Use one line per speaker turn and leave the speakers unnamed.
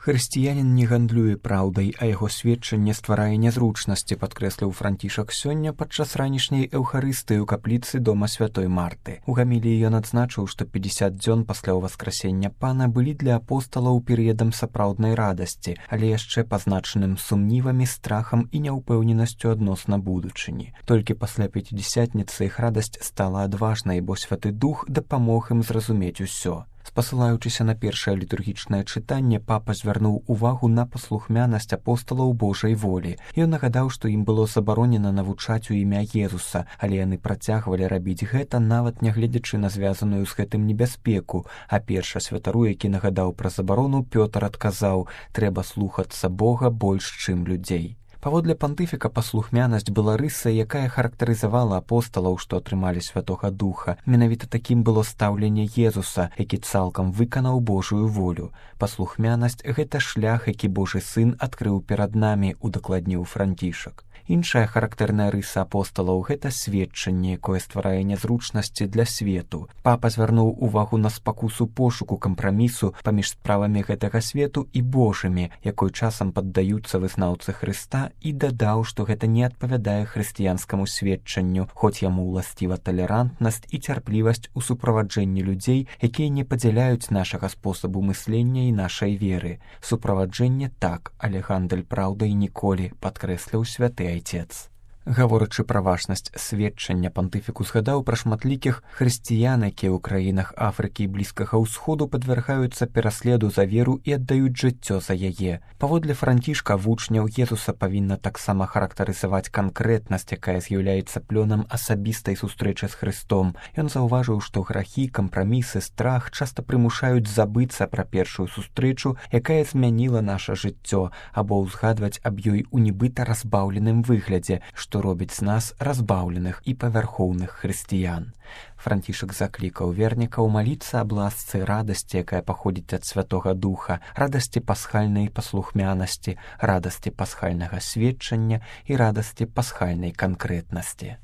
Хрысціянін не гандлюе праўдай, а яго сведчанне стварае нязручнасці, падкрэсліў Францішак сёння падчас ранішняй эўхарыстыі ў капліцы дома святой Марты. У гаміліі ён адзначыў, што 50 дзён пасля ўваскрасення Пана былі для апосталаў перыядам сапраўднай радасці, але яшчэ пазначаным сумнівамі, страхам і няўпэўненасцю адносна будучыні. Толькі пасля пяцідзясятніцы іх радасць стала адважнай, бо Святы Дух дапамог ім зразумець усё. Спасылаючыся на першае літургічнае чытанне, папа звярнуў увагу на паслухмянасць апосталаў Божай волі. Ён нагадаў, што ім было забаронена навучаць у імя Езуса, але яны працягвалі рабіць гэта, нават нягледзячы на звязаную з гэтым небяспеку. А першы святару, які нагадаў пра забарону, Пётр адказаў: «Трэба слухацца Бога больш, чым людзей». Паводле пантыфіка, паслухмянасць была рысай, якая характарызавала апосталаў, што атрымалі Святога Духа. Менавіта такім было стаўленне Езуса, які цалкам выканаў Божую волю. Паслухмянасць — гэта шлях, які Божы Сын адкрыў перад намі, удакладніў Францішак. Іншая характэрная рыса апосталаў — гэта сведчанне, якое стварае нязручнасці для свету. Папа звярнуў увагу на спакусу пошуку кампрамісу паміж справамі гэтага свету і Божымі, якой часам паддаюцца вызнаўцы Хрыста, і дадаў, што гэта не адпавядае хрысціянскаму сведчанню, хоць яму ўласціва талерантнасць і цярплівасць у суправаджэнні людзей, якія не падзяляюць нашага спосабу мыслення і нашай веры. Суправаджэнне так, але гандаль праўдай ніколі, падкрэсліў святы Айцец. Гаворачы пра важнасць сведчання, пантыфіку згадаў пра шматлікіх хрысціян, якія ў краінах Афрыкі і Блізкага ўсходу падвяргаюцца пераследу за веру і аддаюць жыццё за яе. Паводле Францішка, вучняў Езуса павінна таксама характарызаваць канкрэтнасць, якая з'яўляецца плёнам асабістай сустрэчы з Хрыстом. Ён заўважыў, што грахі, кампрамісы, страх часта прымушаюць забыцца пра першую сустрэчу, якая змяніла наша жыццё, або ўзгадваць аб ёй у нібыта разбаўленым выглядзе, што робіць з нас разбаўленых і павярхоўных хрысціян. Францішак заклікаў вернікаў маліцца аб ласцы радасці, якая паходзіць ад Святога Духа, радасці пасхальнай паслухмянасці, радасці пасхальнага сведчання і радасці пасхальнай канкрэтнасці.